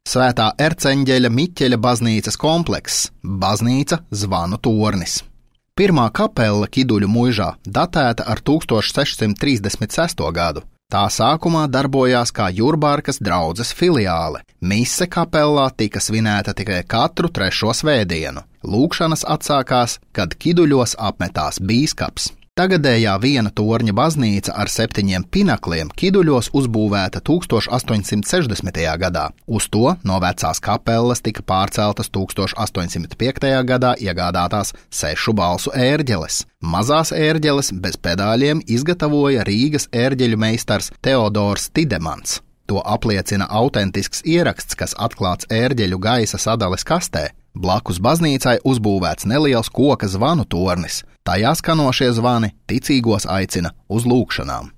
Svētā Erceņģeļa Miķeļa baznīcas komplekss, baznīca Zvanu tornis. Pirmā kapela Kiduļu muižā datēta ar 1636. gadu. Tā sākumā darbojās kā Jurbārkas draudzes filiāle. Mise kapellā tika svinēta tikai katru 3. svētdienu. Lūkšanas atsākās, kad Kiduļos apmetās bīskaps. Tagadējā viena torņa baznīca ar 7 pinakliem Kiduļos uzbūvēta 1860. gadā. Uz to no vecās kapelas tika pārceltas 1805. gadā iegādātās 6 balsu ērģeles. Mazās ērģeles bez pedāļiem izgatavoja Rīgas ērģeļu meistars Teodors Tidemans. To apliecina autentisks ieraksts, kas atklāts ērģeļu gaisa sadales kastē. Blakus baznīcai uzbūvēts neliels koka zvanu tornis. Tajā skanošie zvani ticīgos aicina uz lūkšanām.